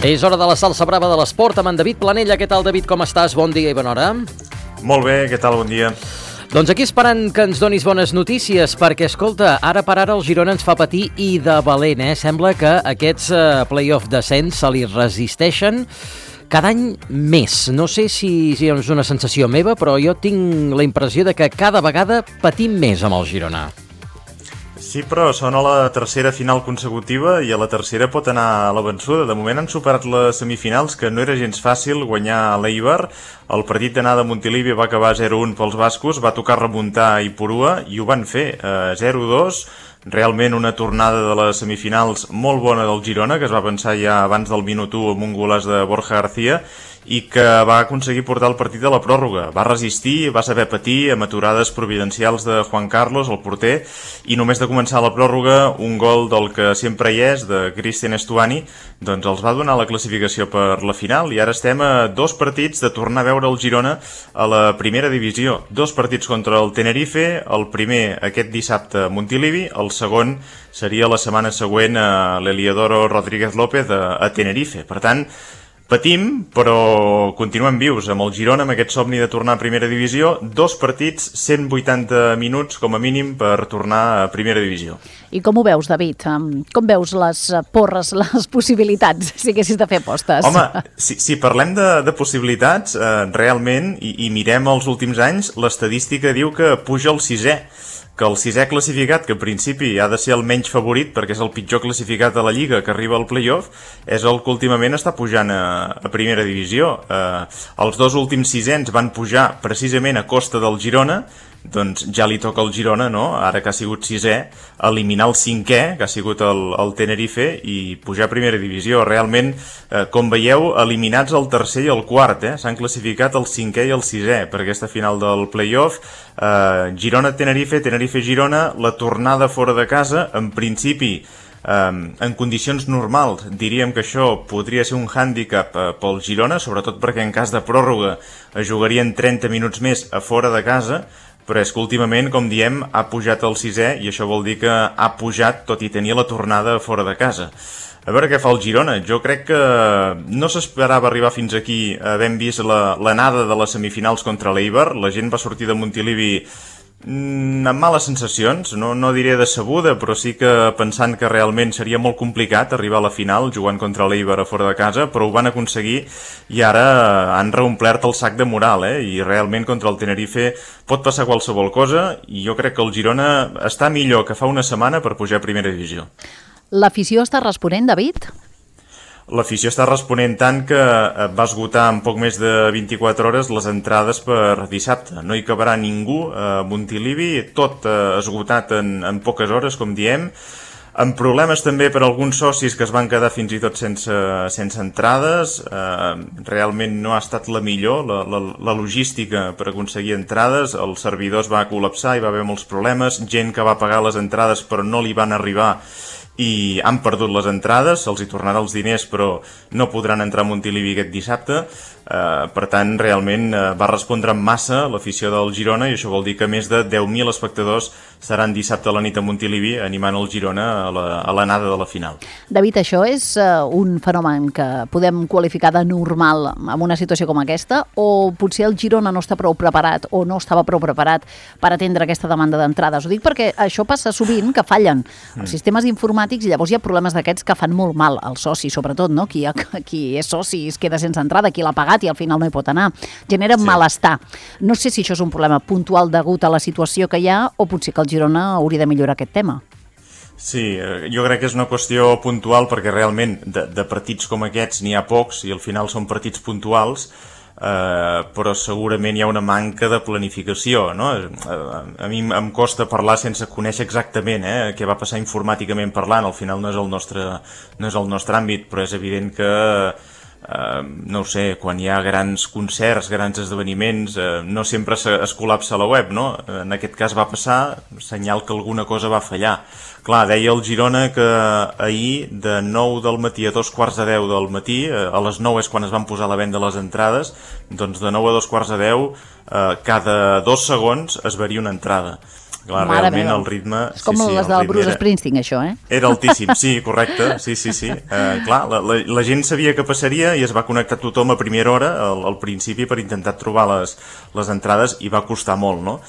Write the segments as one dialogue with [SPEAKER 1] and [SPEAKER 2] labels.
[SPEAKER 1] És hora de la salsa brava de l'esport amb en David Planella. Què tal, David? Com estàs? Bon dia i bona hora.
[SPEAKER 2] Molt bé, què tal? Bon dia.
[SPEAKER 1] Doncs aquí esperant que ens donis bones notícies, perquè, escolta, ara per ara el Girona ens fa patir i de valent, Sembla que aquests play-off descens se li resisteixen cada any més. No sé si és una sensació meva, però jo tinc la impressió de que cada vegada patim més amb el Girona.
[SPEAKER 2] Sí, però són a la tercera final consecutiva i a la tercera pot anar a la vençuda. De moment han superat les semifinals, que no era gens fàcil guanyar a l'Eibar. El partit d'anada a Montilivi va acabar 0-1 pels bascos, va tocar remuntar a Ipurua i ho van fer, 0-2. Realment una tornada de les semifinals molt bona del Girona, que es va pensar ja abans del minut 1 amb un golaç de Borja García i que va aconseguir portar el partit a la pròrroga. Va resistir, va saber patir amb aturades providencials de Juan Carlos, el porter, i només de començar la pròrroga, un gol del que sempre hi és, de Cristian Estuani, doncs els va donar la classificació per la final i ara estem a 2 partits de tornar a veure el Girona a la primera divisió. 2 partits contra el Tenerife, el primer aquest dissabte a Montilivi, el segon seria la setmana següent a l'Heliodoro Rodríguez López a Tenerife. Per tant, patim, però continuem vius amb el Girona, amb aquest somni de tornar a primera divisió. 2 partits, 180 minuts com a mínim per tornar a primera divisió.
[SPEAKER 3] I com ho veus, David? Com veus les porres, les possibilitats, si haguessis de fer apostes?
[SPEAKER 2] Home, si parlem de possibilitats, realment, i mirem els últims anys, l'estadística diu que puja el 6è, que el 6è classificat, que en principi ha de ser el menys favorit perquè és el pitjor classificat de la Lliga que arriba al play-off, és el que últimament està pujant a primera divisió. Els 2 últims 6ens van pujar precisament a costa del Girona, doncs ja li toca al Girona, no? Ara que ha sigut 6è, eliminar el 5è, que ha sigut el Tenerife, i pujar a primera divisió. Realment, com veieu, eliminats el 3è i el 4è, s'han classificat el 5è i el 6è per aquesta final del play-off. Girona-Tenerife, Tenerife-Girona, la tornada fora de casa, en principi, en condicions normals, diríem que això podria ser un hàndicap pel Girona, sobretot perquè en cas de pròrroga es jugarien 30 minuts més a fora de casa, però és que últimament, com diem, ha pujat el 6è i això vol dir que ha pujat tot i tenir la tornada fora de casa. A veure què fa el Girona. Jo crec que no s'esperava arribar fins aquí havent vist l'anada de les semifinals contra l'Eibar. La gent va sortir de Montilivi amb males sensacions, no diré decebuda, però sí que pensant que realment seria molt complicat arribar a la final jugant contra l'Eibar a fora de casa, però ho van aconseguir i ara han reomplert el sac de moral, i realment contra el Tenerife pot passar qualsevol cosa i jo crec que el Girona està millor que fa una setmana per pujar a primera divisió.
[SPEAKER 3] L'afició està responent, David?
[SPEAKER 2] L'afició està responent tant que va esgotar en poc més de 24 hores les entrades per dissabte. No hi cabrà ningú a Montilivi, tot esgotat en poques hores, com diem, amb problemes també per alguns socis que es van quedar fins i tot sense entrades. Realment no ha estat la millor, la logística per aconseguir entrades. El servidor es va col·lapsar, hi va haver molts problemes, gent que va pagar les entrades però no li van arribar i han perdut les entrades, se'ls hi tornarà els diners però no podran entrar a Montilivi aquest dissabte. Per tant, realment va respondre en massa l'afició del Girona i això vol dir que més de 10.000 espectadors seran dissabte a la nit a Montilivi animant el Girona a l'anada de la final.
[SPEAKER 3] David, això és un fenomen que podem qualificar de normal en una situació com aquesta, o potser el Girona no està prou preparat o no estava prou preparat per atendre aquesta demanda d'entrades? Ho dic perquè això passa sovint, que fallen els sistemes informàtics i llavors hi ha problemes d'aquests que fan molt mal als socis, sobretot, no? Qui és soci es queda sense entrada, qui l'ha pagat i al final no hi pot anar. Genera malestar. No sé si això és un problema puntual degut a la situació que hi ha o potser que el Girona hauria de millorar aquest tema.
[SPEAKER 2] Sí, jo crec que és una qüestió puntual perquè realment de partits com aquests n'hi ha pocs i al final són partits puntuals, però segurament hi ha una manca de planificació, no? A mi em costa parlar sense conèixer exactament què va passar informàticament parlant. Al final no és el nostre àmbit, però és evident que no ho sé, quan hi ha grans concerts, grans esdeveniments, no sempre es col·lapsa la web, no? En aquest cas va passar, senyal que alguna cosa va fallar. Clar, deia el Girona que ahir de 9 del matí a 9:15 del matí, a les 9 és quan es van posar a la venda les entrades, doncs de 9 a 9:15, cada 2 segons es varia una entrada. Clar, realment el ritme...
[SPEAKER 3] És com les del Bruce Springsteen, això, eh?
[SPEAKER 2] Era altíssim, sí, correcte, sí. Clar, la gent sabia que passaria i es va connectar tothom a primera hora, al principi, per intentar trobar les entrades, i va costar molt, no?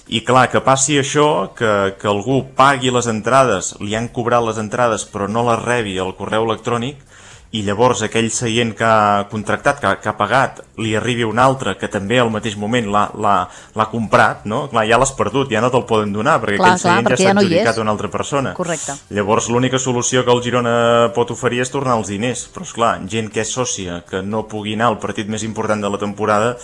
[SPEAKER 2] I clar, que passi això, que algú pagui les entrades, li han cobrat les entrades però no les rebi al correu electrònic, i llavors aquell seient que ha contractat, que ha pagat, li arribi un altre que també al mateix moment l'ha comprat, no? Clar, ja l'has perdut, ja no te'l poden donar, perquè aquell seient ja s'ha adjudicat a una altra persona.
[SPEAKER 3] Correcte.
[SPEAKER 2] Llavors l'única solució que el Girona pot oferir és tornar els diners, però esclar, gent que és sòcia, que no pugui anar al partit més important de la temporada,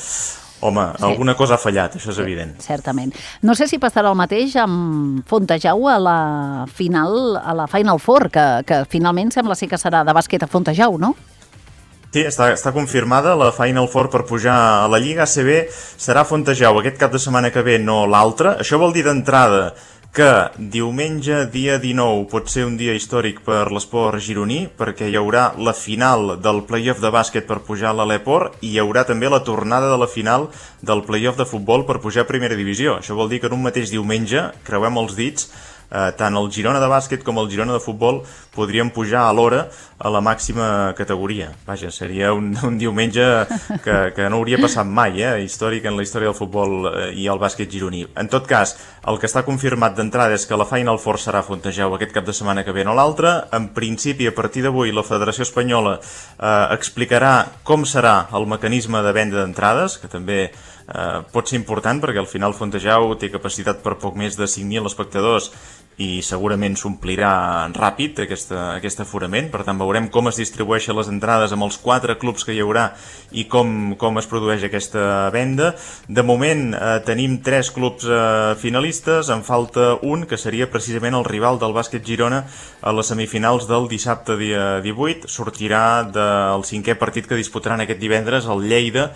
[SPEAKER 2] home, sí. Alguna cosa ha fallat, això és evident.
[SPEAKER 3] Certament. No sé si passarà el mateix amb Fontejau a la Final Four, que finalment sembla ser que serà de bàsquet a Fontejau, no?
[SPEAKER 2] Sí, està confirmada la Final Four per pujar a la Lliga ACB, serà Fontejau aquest cap de setmana que ve, no l'altre. Això vol dir d'entrada que diumenge, dia 19, pot ser un dia històric per l'esport gironí, perquè hi haurà la final del play-off de bàsquet per pujar a l'Aleport i hi haurà també la tornada de la final del play-off de futbol per pujar a primera divisió. Això vol dir que en un mateix diumenge, creuem els dits, tant el Girona de bàsquet com el Girona de futbol podrien pujar a l'hora a la màxima categoria. Vaja, seria un diumenge que no hauria passat mai, històric en la història del futbol i el bàsquet gironí. En tot cas, el que està confirmat d'entrada és que la Final Four serà a Fontejau aquest cap de setmana que ve, no l'altre. En principi, a partir d'avui, la Federació Espanyola explicarà com serà el mecanisme de venda d'entrades, que també pot ser important perquè al final Fontejau té capacitat per poc més de 5.000 espectadors i segurament s'omplirà ràpid aquest aforament, per tant veurem com es distribueixen les entrades amb els 4 clubs que hi haurà i com es produeix aquesta venda. De moment tenim 3 clubs finalistes, en falta un que seria precisament el rival del bàsquet Girona a les semifinals del dissabte dia 18, sortirà del 5è partit que disputaran aquest divendres el Lleida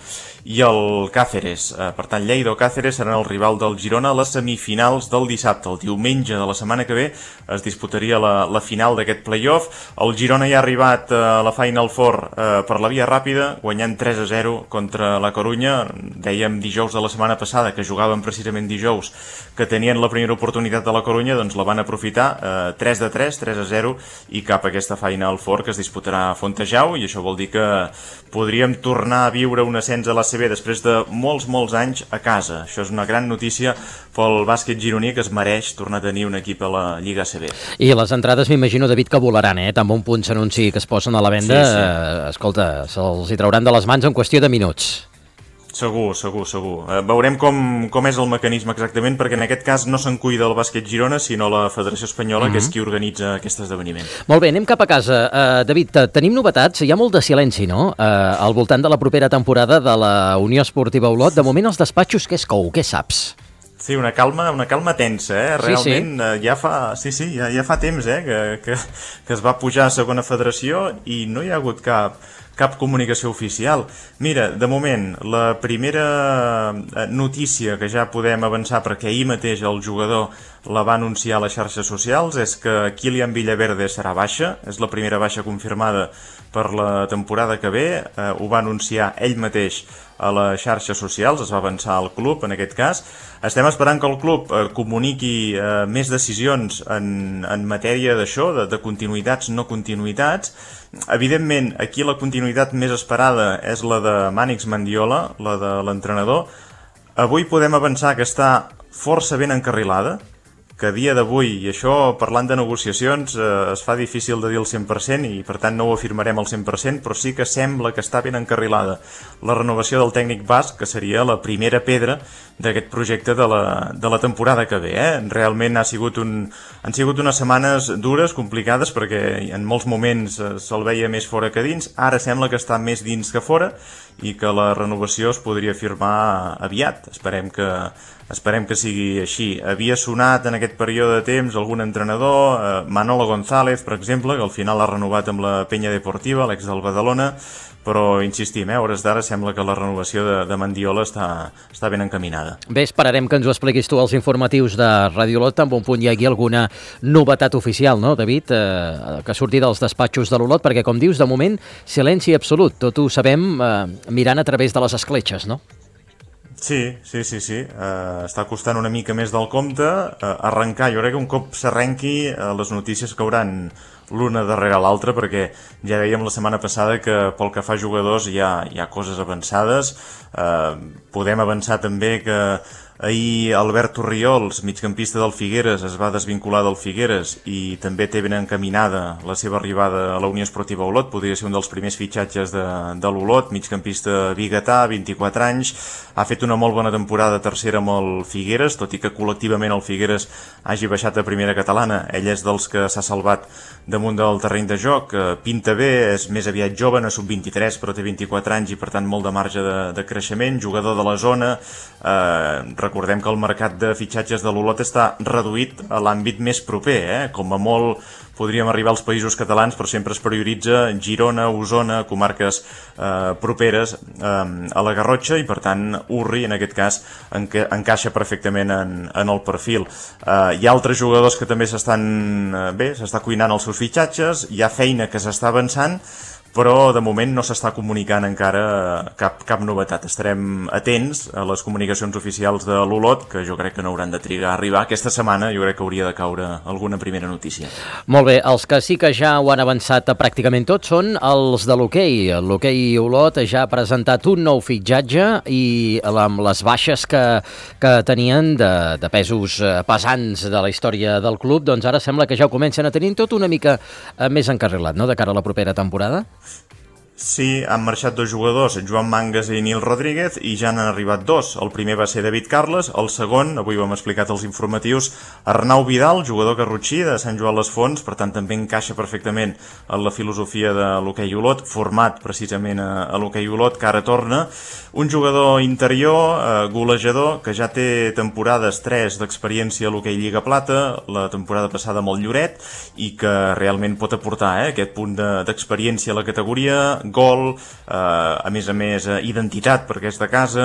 [SPEAKER 2] i el Cáceres. Per tant, Lleida o Cáceres seran el rival del Girona a les semifinals del dissabte. El diumenge de la setmana que ve es disputaria la final d'aquest play-off. El Girona ja ha arribat a la Final Four per la via ràpida, guanyant 3-0 contra la Corunya. Dèiem dijous de la setmana passada, que jugaven precisament dijous, que tenien la primera oportunitat de la Corunya, doncs la van aprofitar, 3-3, 3-0, i cap a aquesta Final Four que es disputarà a Fontejau, i això vol dir que podríem tornar a viure un ascens a l'ACB després de molts anys a casa. Això és una gran notícia pel bàsquet gironí, que es mereix tornar a tenir un equip a la Lliga ACB.
[SPEAKER 1] I les entrades m'imagino, David, que volaran, Tan bon punt s'anunci que es posen a la venda, sí. Escolta, se'ls hi trauran de les mans en qüestió de minuts.
[SPEAKER 2] Segur. Veurem com és el mecanisme exactament, perquè en aquest cas no se'n cuida el bàsquet Girona, sinó la Federació Espanyola, que és qui organitza aquest esdeveniment.
[SPEAKER 1] Molt bé, anem cap a casa. David, tenim novetats? Hi ha molt de silenci, no?, al voltant de la propera temporada de la Unió Esportiva Olot. De moment, els despatxos, què es cou? Què saps?
[SPEAKER 2] Sí, una calma tensa, realment. Sí. Ja fa temps que es va pujar a segona federació i no hi ha hagut cap comunicació oficial. Mira, de moment, la primera notícia que ja podem avançar, perquè ahir mateix el jugador la va anunciar a les xarxes socials, és que Kylian Villaverde serà baixa, és la primera baixa confirmada per la temporada que ve, ho va anunciar ell mateix a les xarxes socials, es va avançar al club en aquest cas. Estem esperant que el club comuniqui més decisions en matèria d'això, de continuïtats, no continuïtats. Evidentment, aquí la continuïtat més esperada és la de Mànix Mendiola, la de l'entrenador. Avui podem avançar que està força ben encarrilada, que a dia d'avui, i això parlant de negociacions es fa difícil de dir el 100% i per tant no ho afirmarem al 100%, però sí que sembla que està ben encarrilada la renovació del tècnic basc, que seria la primera pedra d'aquest projecte de la temporada que ve. Realment han sigut unes setmanes dures, complicades, perquè en molts moments se'l veia més fora que dins. Ara sembla que està més dins que fora i que la renovació es podria firmar aviat. Esperem que sigui així. Havia sonat en aquest període de temps algun entrenador, Manolo González, per exemple, que al final ha renovat amb la Penya Deportiva, l'ex del Badalona, però insistim, a hores d'ara sembla que la renovació de Mendiola està ben encaminada.
[SPEAKER 1] Bé, esperarem que ens ho expliquis tu als informatius de Ràdio Olot, en bon punt hi hagi alguna novetat oficial, no, David, que surti dels despatxos de l'Olot, perquè, com dius, de moment, silenci absolut. Tot ho sabem mirant a través de les escletxes, no?
[SPEAKER 2] Sí. Està costant una mica més del compte. Arrencar, jo crec que un cop s'arrenqui, les notícies cauran l'una darrere l'altra, perquè ja dèiem la setmana passada que pel que fa a jugadors hi ha coses avançades. Podem avançar també que ahir Alberto Riols, migcampista del Figueres, es va desvincular del Figueres i també té ben encaminada la seva arribada a la Unió Esportiva Olot. Podria ser un dels primers fitxatges de l'Olot, migcampista biguetà, 24 anys, ha fet una molt bona temporada tercera amb el Figueres, tot i que col·lectivament el Figueres hagi baixat a primera catalana. Ell és dels que s'ha salvat damunt del terreny de joc, pinta bé, és més aviat jove, no és sub-23 però té 24 anys i per tant molt de marge de creixement, jugador de la zona. Recordem que el mercat de fitxatges de l'Olot està reduït a l'àmbit més proper, com a molt podríem arribar als països catalans, però sempre es prioritza Girona, Osona, comarques properes a la Garrotxa, i per tant Urri en aquest cas encaixa perfectament en el perfil. Hi ha altres jugadors que també s'està cuinant els seus fitxatges, hi ha feina que s'està avançant, però de moment no s'està comunicant encara cap novetat. Estarem atents a les comunicacions oficials de l'Olot, que jo crec que no hauran de trigar a arribar. Aquesta setmana jo crec que hauria de caure alguna primera notícia.
[SPEAKER 1] Molt bé, els que sí que ja ho han avançat pràcticament tots són els de l'hoquei. L'hoquei Olot ja ha presentat un nou fitxatge i amb les baixes que tenien de pesos pesants de la història del club, doncs ara sembla que ja ho comencen a tenir tot una mica més encarrilat, no?, de cara a la propera temporada.
[SPEAKER 2] Sí, han marxat 2 jugadors, Joan Mangas i Nil Rodríguez, i ja n'han arribat 2. El primer va ser David Carles, el segon, avui ho hem explicat als informatius, Arnau Vidal, jugador garrotxí de Sant Joan les Fonts, per tant també encaixa perfectament en la filosofia de l'hoquei Olot, format precisament a l'hoquei Olot, que ara torna. Un jugador interior, golejador, que ja té temporades 3 d'experiència a l'hoquei Lliga Plata, la temporada passada amb el Lloret, i que realment pot aportar aquest punt d'experiència a la categoria, gol, a més, identitat perquè és de casa.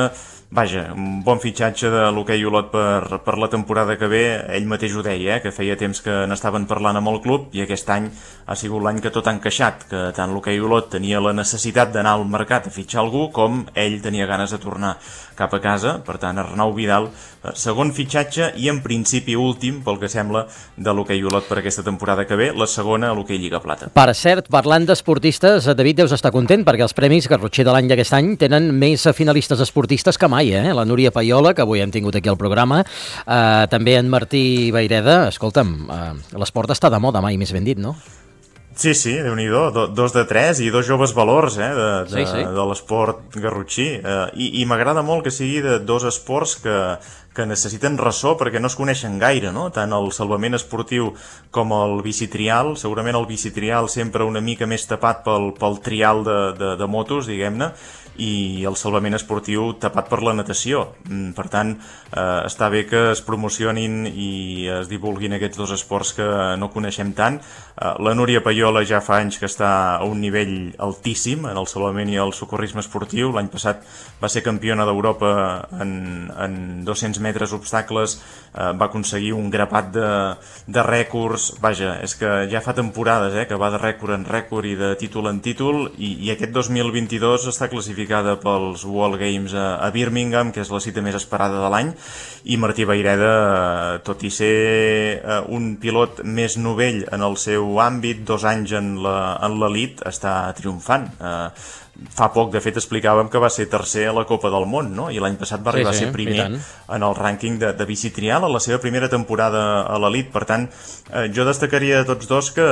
[SPEAKER 2] Vaja, un bon fitxatge de l'hoquei Olot per la temporada que ve. Ell mateix ho deia, que feia temps que n'estaven parlant amb el club, i aquest any ha sigut l'any que tot ha encaixat, que tant l'hoquei Olot tenia la necessitat d'anar al mercat a fitxar algú, com ell tenia ganes de tornar cap a casa. Per tant, Arnau Vidal, segon fitxatge i en principi últim, pel que sembla, de l'hoquei Olot per aquesta temporada que ve, la segona a l'hoquei Lliga Plata.
[SPEAKER 1] Per cert, parlant d'esportistes, David, deus estar content perquè els Premis Garrotxer de l'any d'aquest any tenen més finalistes esportistes que mai, La Núria Paiola, que avui hem tingut aquí al programa, també en Martí Vayreda. Escolta'm, l'esport està de moda, mai més ben dit, no?
[SPEAKER 2] Sí, Déu-n'hi-do, 2 de 3 i 2 joves valors
[SPEAKER 1] sí.
[SPEAKER 2] de l'esport garrotxí. I m'agrada molt que sigui de 2 esports que necessiten ressò perquè no es coneixen gaire, no? Tant el salvament esportiu com el bicitrial. Segurament el bicitrial sempre una mica més tapat pel trial de motos, diguem-ne, i el salvament esportiu tapat per la natació. Per tant, està bé que es promocionin i es divulguin aquests 2 esports que no coneixem tant. La Núria Paiola ja fa anys que està a un nivell altíssim en el salvament i el socorrisme esportiu. L'any passat va ser campiona d'Europa en 200 metres obstacles, va aconseguir un grapat de rècords. Vaja, és que ja fa temporades que va de rècord en rècord i de títol en títol, i aquest 2022 està classificat pels World Games a Birmingham, que és la cita més esperada de l'any, i Martí Vayreda, tot i ser un pilot més novell en el seu àmbit, 2 anys en l'elit, està triomfant. Fa poc, de fet, explicàvem que va ser tercer a la Copa del Món, no? I l'any passat va arribar a ser primer en el rànquing de bicitrial a la seva primera temporada a l'elit. Per tant, jo destacaria de tots 2 que,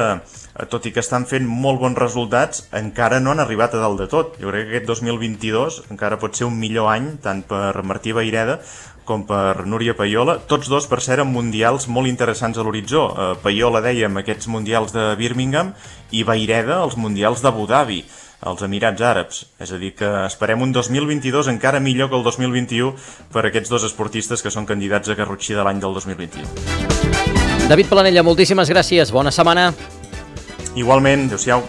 [SPEAKER 2] tot i que estan fent molt bons resultats, encara no han arribat a dalt de tot. Jo crec que aquest 2022 encara pot ser un millor any, tant per Martí Vayreda com per Núria Paiola, tots 2, per cert, amb mundials molt interessants a l'horitzó. Paiola, dèiem, aquests mundials de Birmingham, i Vayreda, els mundials d'Abu Dhabi, als Emirats Àrabs. És a dir, que esperem un 2022 encara millor que el 2021 per aquests 2 esportistes que són candidats a Garrotxí de l'any del 2021.
[SPEAKER 1] David Planella, moltíssimes gràcies. Bona setmana.
[SPEAKER 2] Igualment, adéu-siau.